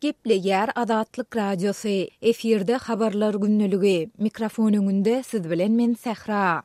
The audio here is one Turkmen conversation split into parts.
Gepleýär Azatlyk Radiosy, efirde Habarlar gündeligi, mikrofon öňünde siz bilen men Sähra.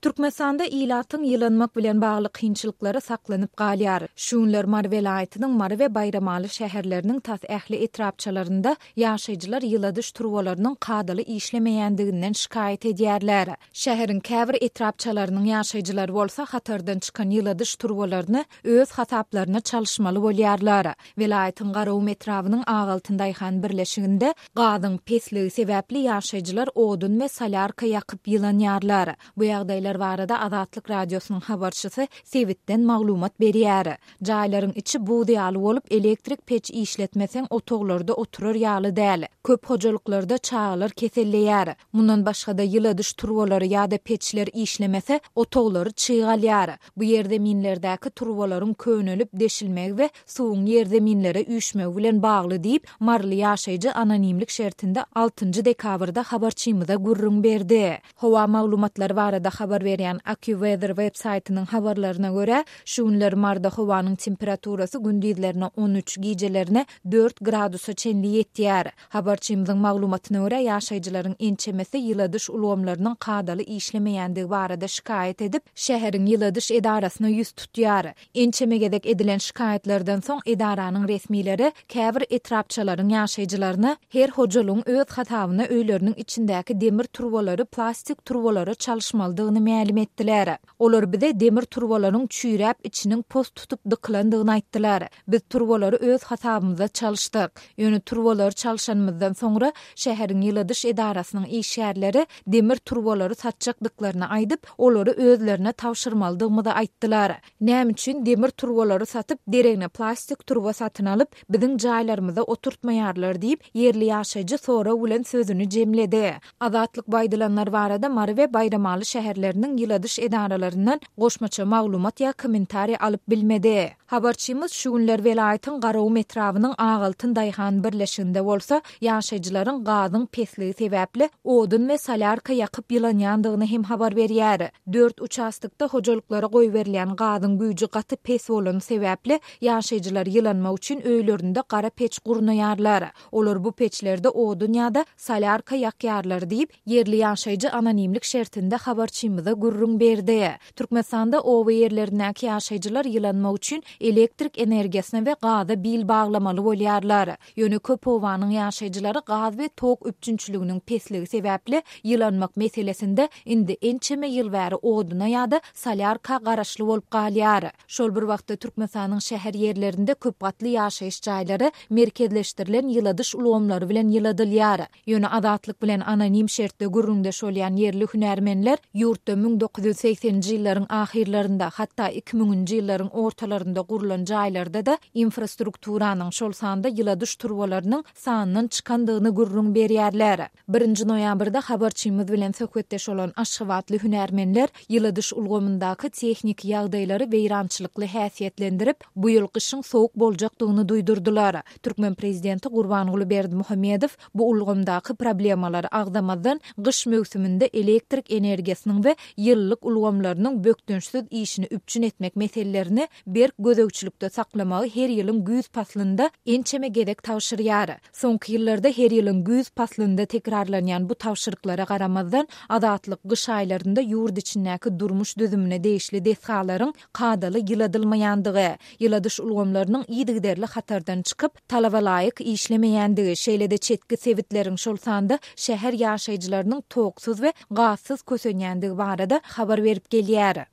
Türkmenistanda ilatyň ýylanmak bilen bagly kynçylyklary saklanyp galýar. Şu günler Mary welaýatynyň Mary we Baýramaly şäherleriniň tas ähli etrapçalarynda ýaşaýjylar ýyladyş turbalarynyň kadaly işlemeýändiginden şikaýat edýärler. Şäheriň käbir etrapçalarynyň ýaşaýjylary bolsa hatardan çykan ýyladyş turbalaryny öz hasaplaryna çalyşmaly bolýarlar. Welaýatyň Garagum etrabynyň Agaltyn daýhan birleşiginde gazyň pesligi sebäpli ýaşaýjylar odun we solýarka ýakyp ýylanýarlar. Bu ýagdaýlar barada Azatlyk Radiosynyň habarçysy sebitden maglumat berýär. Jaýlaryň içi buz ýaly bolup, elektrik peç işletmeseň otaglarda oturar ýaly däl. Köp hojalyklarda çagalar keselleýär. Mundan başga-da ýyladyş turbalary ýa-da peçler işlemese, otaglary çyg alýar. Bu ýerzeminlerdäki turbalaryň könelip deşilmegi we suwuň ýerzeminlere üýşmegi bilen bagly diýip, maryly ýaşaýjy anonimlik şertinde altynjy dekabrda habarçymyza gürrüň berdi. Howa maglumatlary barada habar berýän AccuWeather web saýtynyň habarlaryna görä, şu günler Maryda howanyň temperaturasy gündizlerine 13, gijelerine dört gradusa çenli ýetýär. Habarçymyzyň maglumatyna görä, ýaşaýjylaryň ençemesi ýyladyş ulgamlarynyň kadaly işlemeýändigi barada şikaýat edip, şäheriň ýyladyş edarasyna ýüz tutýar. Ençeme gezek edilen şikaýatlardan soň edaranyň resmileri käbir etrapçalaryň ýaşaýjylaryna her hojalygyň öz hasabyna öýleriniň içindäki demir turbalary plastik turbalara çalyşmalydygyny mälim etdiler. Olar bize demir turbalaryň çüýräp içiniň pos tutup dykylandygyny aýtdylar. Biz turbalary öz hasabymyza çalyşdyk. Ýöne turbalary çalşanymyzdan soňra şäheriň ýyladyş edarasynyň işgärleri demir turbalary satjakdyklaryny aýdyp, olary özlerine tabşyrmalydygymyzy aýtdylar. Näme üçin demir turbalary satyp, deregine plastik turba satyn alyp, biziň jaýlarymyza oturtmaýarlar diýip, ýerli ýaşaýjy sorag bilen sözüni jemledi. Azatlyk bu aýdylanlar barada Mary we Baýramaly şäherleriniň ýyladyş edaralaryndan goşmaça maglumat ýa kommentariý alyp bilmedi. Habarçymyz şu günler welaýatyň Garagum etrabynyň Agaltyn daýhan birleşiginde bolsa, ýaşaýjylaryň gazyň pesligi sebäpli odun we solýarka ýakyp ýylanýandygyny hem habar berýär. Dört uçastokda hojalyklara goýberilýän gazyň güýji gaty pes bolany sebäpli, ýaşaýjylar ýylanmak üçin öýlerinde gara peç gurnaýarlar. Olar bu peçlerde odun ýa-da solýarka ýakýarlar diýip, ýerli ýaşaýjy anonimlik şertinde habarçymyza gürrüň berdi. Türkmenistanda oba ýerlerindäki ýaşaýjylar ýylanmak üçin elektrik energiýasyna we gaza bil baglamaly bolýarlar. Ýöne köp obanyň ýaşaýjylary gaz we tok üpjünçiliginiň pesligi sebäpli ýylanmak meselesinde indi ençeme ýyl bäri oduna ýa-da solýarka garaşly bolup galýar. Şol bir wagtda Türkmenistanyň şäher ýerlerinde köp gatly ýaşaýyş jaýlary merkezleşdirilen ýyladyş ulgamlary bilen ýyladylýar. Ýöne Azatlyk bilen anonim şertde gürrüňdeş bolýan ýerli hünärmenler ýurtda 1980-nji ýyllaryň ahyrlarynda, hatda iki müňünji ýyllaryň ortalarynda gurlan jaýlarda-da infrastrukturanyň, şol sanda ýyladyş turbalarynyň sandan çykandygyny gürrüň berýärler. Birinji noýabrda habarçymyz bilen söhbetdeş bolan aşgabatly hünärmenler ýyladyş ulgamyndaky tehniki ýagdaýlary weýrançylykly häsiýetlendirip, bu ýyl gyşyň sowuk boljakdygyny duýdurdylar. Türkmen prezidenti Gurbanguly Berdimuhamedow bu ulgamdaky problemalary agzamazdan, gyş möwsüminde elektrik energiýasynyň we ýylylyk ulgamlarynyň bökdençsiz işini üpjün etmek meselelerini berk gözegçilikde saklamagy her ýylyň güýz paslynda ençeme gezek tabşyrýar. Soňky ýyllarda her ýylyň güýz paslynda tekrarlanýan bu tabşyryklara garamazdan, Azatlyk gyş aýlarynda ýurt içindäki durmuş düzümine degişli desgalaryň kadaly ýyladylmaýandygy, ýyladyş ulgamlarynyň yzygiderli hatardan çykyp, talaba laýyk işlemeýändigi, şeýle-de çetki sebitleriň, şol sanda şäher ýaşaýjylarynyň toksuz we gazsyz kösenýändigi barada habar berip gelýär.